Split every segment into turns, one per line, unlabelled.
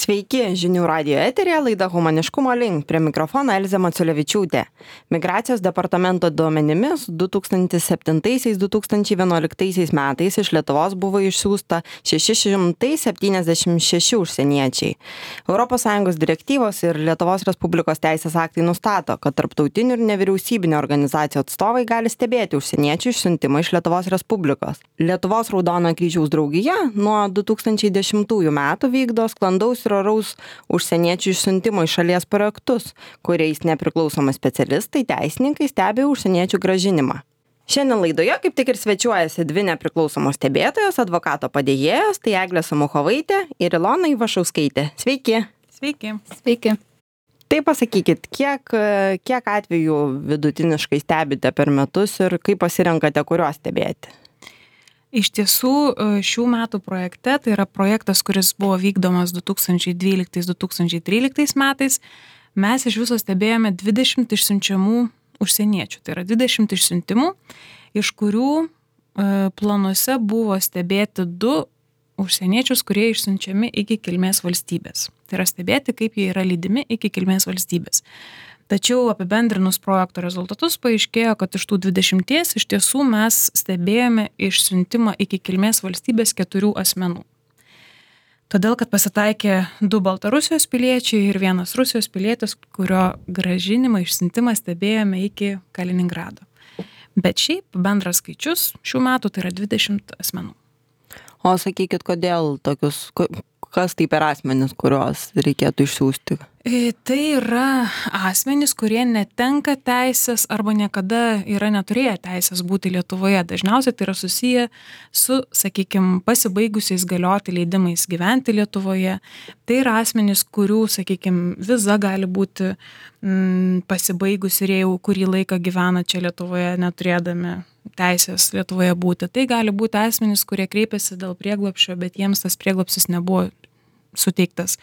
Sveiki, žinių radijo eteryje laida Humaniškumo link, prie mikrofono Elzė Maciulevičiūtė. Migracijos departamento duomenimis 2007-2011 metais iš Lietuvos buvo išsiųsta 676 užsieniečiai. ES direktyvos ir Lietuvos Respublikos teisės aktai nustato, kad tarptautinių ir nevyriausybinių organizacijų atstovai gali stebėti užsieniečių išsiuntimą iš Lietuvos Respublikos. Lietuvos Raudonojo Kryžiaus draugija nuo 2010 metų vykdo sklandaus ir oraus užsieniečių išsiuntimo iš šalies projektus, kuriais nepriklausomi specialistai, teisininkai stebi užsieniečių grąžinimą. Šiandien laidoje kaip tik ir svečiuojasi dvi nepriklausomos stebėtojos, advokato padėjėjos, tai Eglė Samuchovaitė ir Ilona Ivašauskaitė. Sveiki.
Sveiki.
Sveiki.
Tai pasakykit, kiek atvejų vidutiniškai stebite per metus ir kaip pasirenkate, kuriuos stebėti?
Iš tiesų, šių metų projekte, tai yra projektas, kuris buvo vykdomas 2012-2013 metais, mes iš viso stebėjome 20 išsiunčiamų užsieniečių. Tai yra 20 išsiuntimų, iš kurių planuose buvo stebėti 2 užsieniečius, kurie išsiunčiami iki kilmės valstybės. Tai yra stebėti, kaip jie yra lydimi iki kilmės valstybės. Tačiau apibendrinus projekto rezultatus paaiškėjo, kad iš tų 20 iš tiesų mes stebėjome išsiuntimą iki kilmės valstybės 4 asmenų. Todėl, kad pasitaikė 2 Baltarusijos piliečiai ir 1 Rusijos pilietis, kurio grąžinimą išsiuntimą stebėjome iki Kaliningrado. Bet šiaip bendras skaičius šių metų tai yra 20 asmenų.
O sakykit, kodėl tokius, kas tai per asmenis, kuriuos reikėtų išsiųsti?
Tai yra asmenys, kurie netenka teisės arba niekada yra neturėję teisės būti Lietuvoje. Dažniausiai tai yra susiję su, sakykime, pasibaigusiais galioti leidimais gyventi Lietuvoje. Tai yra asmenys, kurių, sakykime, viza gali būti pasibaigusi ir jau kurį laiką gyvena čia Lietuvoje, neturėdami teisės Lietuvoje būti. Tai gali būti asmenys, kurie kreipiasi dėl prieglobsčio, bet jiems tas prieglobstis nebuvo suteiktas.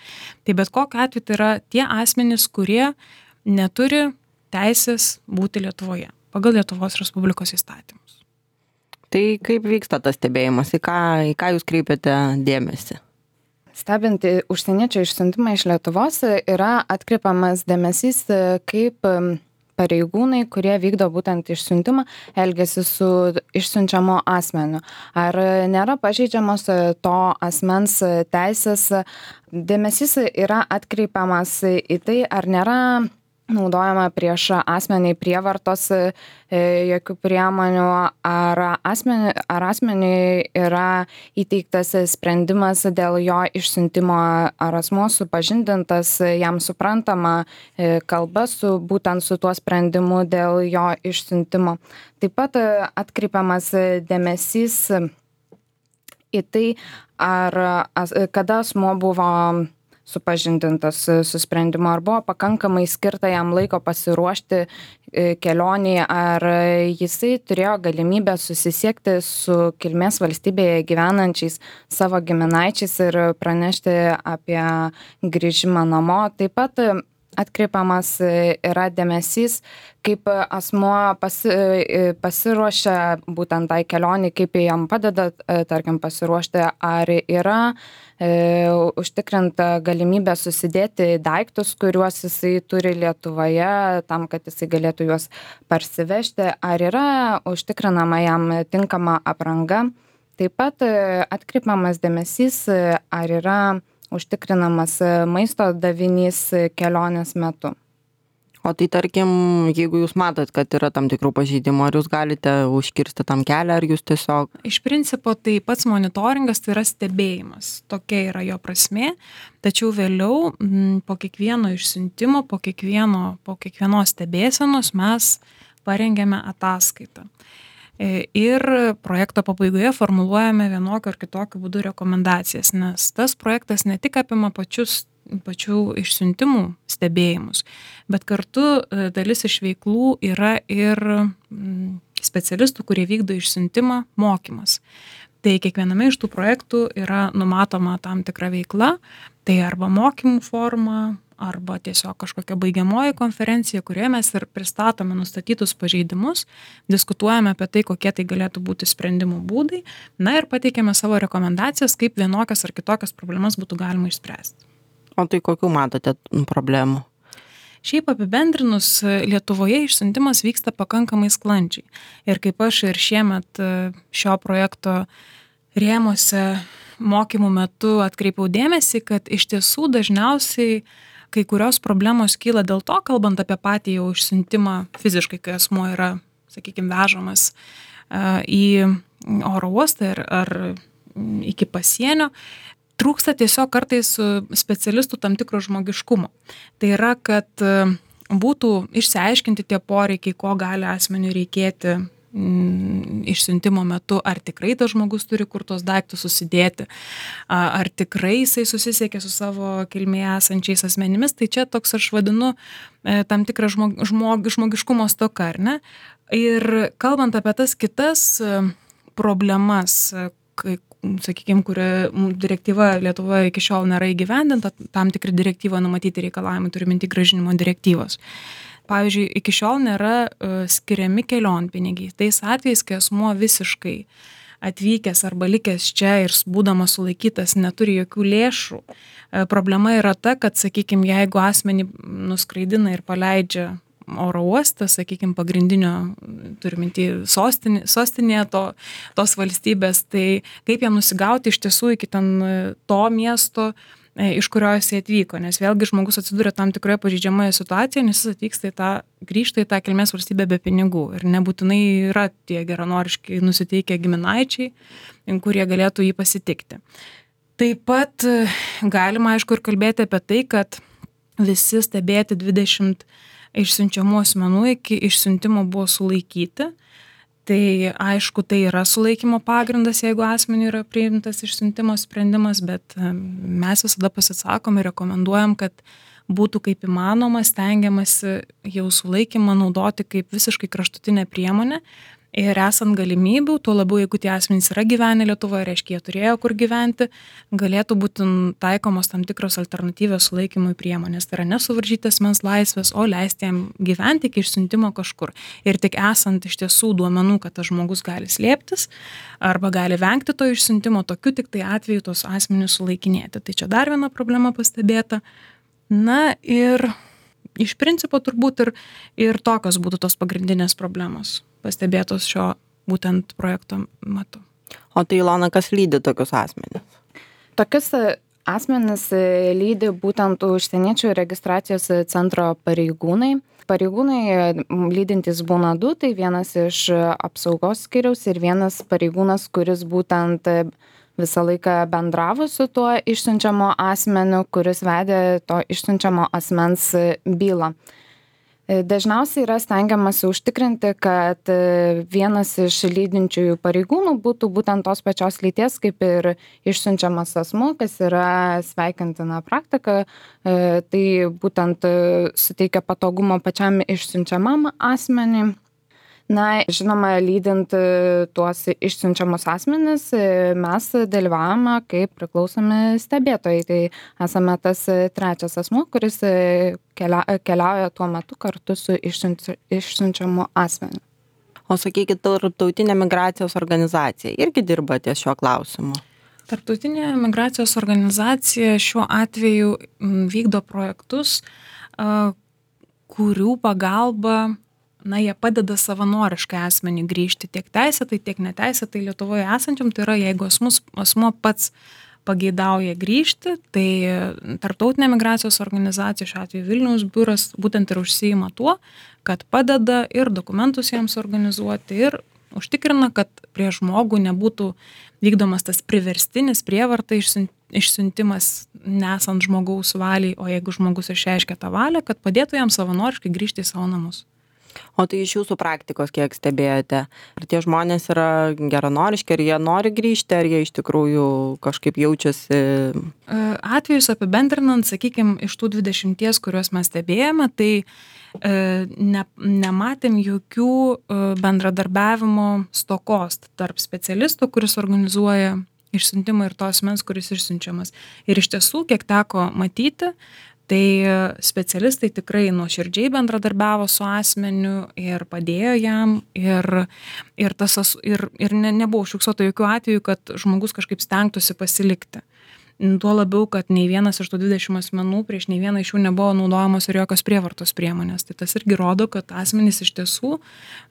Tai bet kokiu atveju tai yra tie asmenys, kurie neturi teisės būti Lietuvoje pagal Lietuvos Respublikos įstatymus.
Tai kaip vyksta tas stebėjimas, į ką jūs kreipiate dėmesį?
Stebint užsieniečio išsiuntimą iš Lietuvos yra atkreipiamas dėmesys, kaip pareigūnai, kurie vykdo būtent išsiuntimą, elgiasi su išsiunčiamo asmeniu. Ar nėra pažeidžiamos to asmens teisės? Dėmesys yra atkreipiamas į tai, ar nėra naudojama prieš asmenį prievartos jokių priemonių, ar asmeniui yra įteiktas sprendimas dėl jo išsiuntimo, ar asmuo supažindintas jam suprantama kalba būtent su tuo sprendimu dėl jo išsiuntimo. Taip pat atkreipiamas dėmesys į tai, kada asmuo buvo supažindintas su sprendimu, ar buvo pakankamai skirta jam laiko pasiruošti kelionį, ar jisai turėjo galimybę susisiekti su kilmės valstybėje gyvenančiais savo giminaičiais ir pranešti apie grįžimą namo. Taip pat atkreipiamas yra dėmesys, kaip asmuo pasiruošia būtent tai kelionį, kaip jam padeda, tarkim, pasiruošti, ar yra užtikrinta galimybė susidėti daiktus, kuriuos jisai turi Lietuvoje, tam, kad jisai galėtų juos parsivežti, ar yra užtikrinama jam tinkama apranga. Taip pat atkreipiamas dėmesys, ar yra užtikrinamas maisto davinys kelionės metu.
O tai tarkim, jeigu jūs matot, kad yra tam tikrų pažeidimų, ar jūs galite užkirsti tam kelią, ar jūs tiesiog...
Iš principo tai pats monitoringas tai yra stebėjimas. Tokia yra jo prasmė. Tačiau vėliau po kiekvieno išsiuntimo, po kiekvienos stebėsenos mes parengėme ataskaitą. Ir projekto pabaigoje formuluojame vienokiu ar kitokiu būdu rekomendacijas, nes tas projektas ne tik apima pačių išsiuntimų stebėjimus, bet kartu dalis iš veiklų yra ir specialistų, kurie vykdo išsiuntimą, mokymas. Tai kiekviename iš tų projektų yra numatoma tam tikra veikla, tai arba mokymų forma, arba tiesiog kažkokia baigiamoji konferencija, kurioje mes ir pristatome nustatytus pažeidimus, diskutuojame apie tai, kokie tai galėtų būti sprendimų būdai, na ir pateikiame savo rekomendacijas, kaip vienokias ar kitokias problemas būtų galima išspręsti.
O tai kokių matote problemų?
Šiaip apibendrinus, Lietuvoje išsiuntimas vyksta pakankamai sklandžiai. Ir kaip aš ir šiemet šio projekto rėmuose mokymų metu atkreipiau dėmesį, kad iš tiesų dažniausiai kai kurios problemos kyla dėl to, kalbant apie patį jau išsiuntimą fiziškai, kai asmuo yra, sakykime, vežamas į oro uostą ar iki pasienio, trūksta tiesiog kartais specialistų tam tikro žmogiškumo. Tai yra, kad būtų išsiaiškinti tie poreikiai, ko gali asmeniui reikėti išsiuntimo metu, ar tikrai tas žmogus turi kur tos daiktus susidėti, ar tikrai jisai susisiekė su savo kilmėje esančiais asmenimis. Tai čia toks aš vadinu tam tikrą žmogiškumo stoka, ar ne? Ir kalbant apie tas kitas problemas, sakykime, kuri direktyva Lietuvoje iki šiol nėra įgyvendinta, tam tikri direktyvoje numatyti reikalavimai, turi minti grąžinimo direktyvos. Pavyzdžiui, iki šiol nėra skiriami kelionpinigiai. Tais atvejais, kai asmuo visiškai atvykęs arba likęs čia ir būdamas sulaikytas neturi jokių lėšų, problema yra ta, kad, sakykime, jeigu asmenį nuskraidina ir paleidžia oro uostą, sakykime, pagrindinio, turiminti sostinėje tos valstybės, tai kaip jam nusigauti iš tiesų iki ten to miesto, iš kurio jis atvyko, nes vėlgi žmogus atsiduria tam tikroje pažeidžiamoje situacijoje, nes jis grįžta į tą kilmės valstybę be pinigų ir nebūtinai yra tie geranoriškai nusiteikę giminaičiai, kurie galėtų jį pasitikti. Taip pat galima, aišku, ir kalbėti apie tai, kad visi stebėti 20 išsiunčiamų asmenų iki išsiuntimo buvo sulaikyti. Tai aišku, tai yra sulaikymo pagrindas, jeigu asmeniui yra priimtas išsiuntimo sprendimas, bet mes visada pasisakom ir rekomenduojam, kad būtų kaip įmanoma stengiamasi jau sulaikymą naudoti kaip visiškai kraštutinę priemonę. Ir esant galimybių, tuo labiau, jeigu tie asmenys yra gyvenę Lietuvoje, reiškia, jie turėjo kur gyventi, galėtų būti taikomos tam tikros alternatyvios sulaikymui priemonės. Tai yra nesuvaržyti asmens laisvės, o leisti jam gyventi iki išsiuntimo kažkur. Ir tik esant iš tiesų duomenų, kad tas žmogus gali slėptis arba gali vengti to išsiuntimo, tokiu tik tai atveju tos asmenys sulaikinėti. Tai čia dar viena problema pastebėta. Na ir iš principo turbūt ir tokios būtų tos pagrindinės problemos pastebėtos šio būtent projekto metu.
O tai, Ilona, kas lydi tokius asmenis?
Tokius asmenis lydi būtent užsieniečių registracijos centro pareigūnai. Pareigūnai lydintys būna du, tai vienas iš apsaugos skyriaus ir vienas pareigūnas, kuris būtent visą laiką bendravo su tuo išsiunčiamo asmeniu, kuris vedė to išsiunčiamo asmens bylą. Dažniausiai yra stengiamasi užtikrinti, kad vienas iš lydinčiųjų pareigūnų būtų būtent tos pačios lyties kaip ir išsiunčiamas asmuo, kas yra sveikintina praktika. Tai būtent suteikia patogumą pačiam išsiunčiamam asmeniui. Na, žinoma, lydint tuos išsiunčiamus asmenis, mes dalyvavome kaip priklausomi stebėtojai. Tai esame tas trečias asmuo, kuris keliauja tuo metu kartu su išsiunčiamu asmeniu.
O sakykit, Tarptautinė migracijos organizacija irgi dirba ties šiuo klausimu?
Tarptautinė migracijos organizacija šiuo atveju vykdo projektus, kurių pagalba jie padeda savanoriškai asmenį grįžti tiek teisėtai, tiek neteisėtai Lietuvoje esančiam. Tai yra, jeigu asmuo pats pageidauja grįžti, tai Tarptautinė migracijos organizacija, šiuo atveju Vilniaus biuras, būtent ir užsiima tuo, kad padeda ir dokumentus jiems organizuoti ir užtikrina, kad prie žmogų nebūtų vykdomas tas priverstinis prievarta išsiuntimas nesant žmogaus valiai, o jeigu žmogus išreiškia tą valią, kad padėtų jam savanoriškai grįžti į savo namus.
O tai iš jūsų praktikos kiek stebėjote? Ar tie žmonės yra geranoriški, ar jie nori grįžti, ar jie iš tikrųjų kažkaip jaučiasi?
Atvejus apibendrinant, sakykime, iš tų 20, kuriuos mes stebėjome, tai nematėm jokių bendradarbiavimo stokos tarp specialistų, kuris organizuoja išsiuntimą ir to asmens, kuris išsiunčiamas. Ir iš tiesų, kiek teko matyti, tai specialistai tikrai nuoširdžiai bendradarbiavo su asmeniu ir padėjo jam ir nebuvo užfiksuota jokių atvejų, kad žmogus kažkaip stengtųsi pasilikti. Tuo labiau, kad nei vienas iš tų 20 asmenų prieš nei vieną iš jų nebuvo naudojamos ir jokios prievartos priemonės. Tai tas irgi rodo, kad asmenys iš tiesų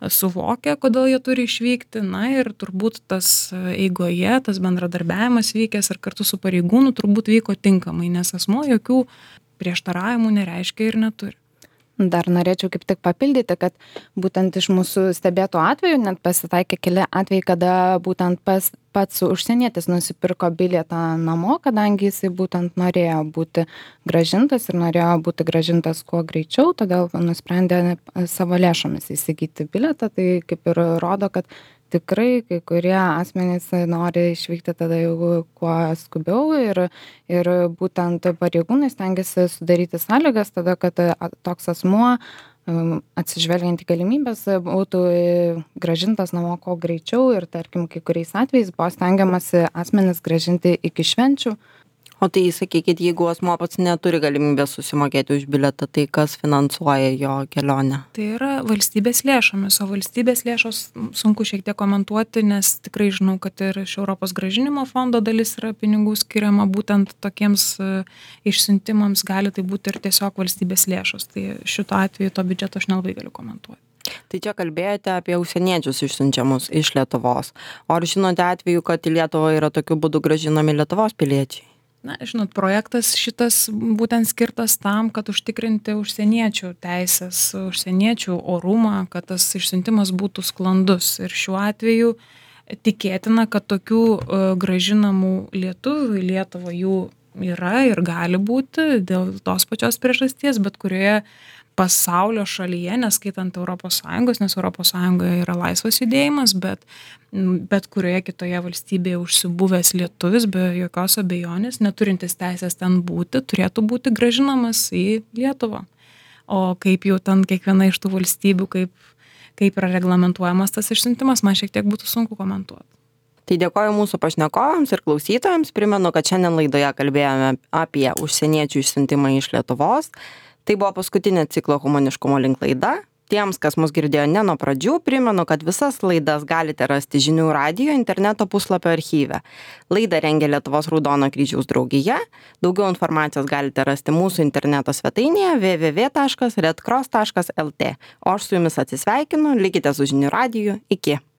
suvokia, kodėl jie turi išvykti. Na ir turbūt tas eigoje, tas bendradarbiavimas vykęs ir kartu su pareigūnu turbūt vyko tinkamai, nes asmuo jokių prieštaravimų nereiškia ir neturi.
Dar norėčiau kaip tik papildyti, kad būtent iš mūsų stebėtų atvejų net pasitaikė keli atvejai, kada būtent pats užsienietis nusipirko bilietą namo, kadangi jisai būtent norėjo būti grąžintas ir norėjo būti grąžintas kuo greičiau, todėl nusprendė savo lėšomis įsigyti bilietą. Tai kaip ir rodo, kad tikrai kai kurie asmenys nori išvykti tada jau kuo skubiau ir būtent pareigūnai stengiasi sudaryti sąlygas tada, kad toks asmuo atsižvelgiant į galimybės būtų grąžintas namo kuo greičiau ir tarkim kai kuriais atvejais buvo stengiamasi asmenis grąžinti iki švenčių.
O tai sakykit, jeigu asmuo pats neturi galimybės susimokėti už bilietą, tai kas finansuoja jo kelionę?
Tai yra valstybės lėšomis, o valstybės lėšos sunku šiek tiek komentuoti, nes tikrai žinau, kad ir iš Europos grąžinimo fondo dalis yra pinigų skiriama būtent tokiems išsiuntimams, gali tai būti ir tiesiog valstybės lėšos. Tai šito atveju to biudžeto aš nelabai galiu komentuoti.
Tai čia kalbėjote apie užsieniečius išsiunčiamus iš Lietuvos. O ar žinote atveju, kad į Lietuvą yra tokiu būdu grąžinami Lietuvos piliečiai?
Na, žinot, projektas šitas būtent skirtas tam, kad užtikrinti užsieniečių teisės, užsieniečių orumą, kad tas išsiuntimas būtų sklandus. Ir šiuo atveju tikėtina, kad tokių grąžinamų lietuvių į Lietuvą jų yra ir gali būti dėl tos pačios priežasties, bet kurioje pasaulio šalyje, neskaitant ES, nes ES yra laisvas judėjimas, bet kurioje kitoje valstybėje užsibuvęs lietuvis be jokios abejonės, neturintis teisės ten būti, turėtų būti grąžinamas į Lietuvą. O kaip jau ten kiekviena iš tų valstybių, kaip yra reglamentuojamas tas išsiuntimas, man šiek tiek būtų sunku komentuoti.
Tai dėkoju mūsų pašnekovams ir klausytojams. Primenu, kad šiandien laidoje kalbėjome apie užsieniečių išsiuntimą iš Lietuvos. Tai buvo paskutinė ciklo Humaniškumo link laida. Tiems, kas mus girdėjo ne nuo pradžių, primenu, kad visas laidas galite rasti Žinių radijo interneto puslapio archyve. Laidą rengia Lietuvos Raudono kryžiaus draugija. Daugiau informacijos galite rasti mūsų interneto svetainėje www.redcross.lt. O aš su jumis atsisveikinu, likite su Žinių radiju. Iki.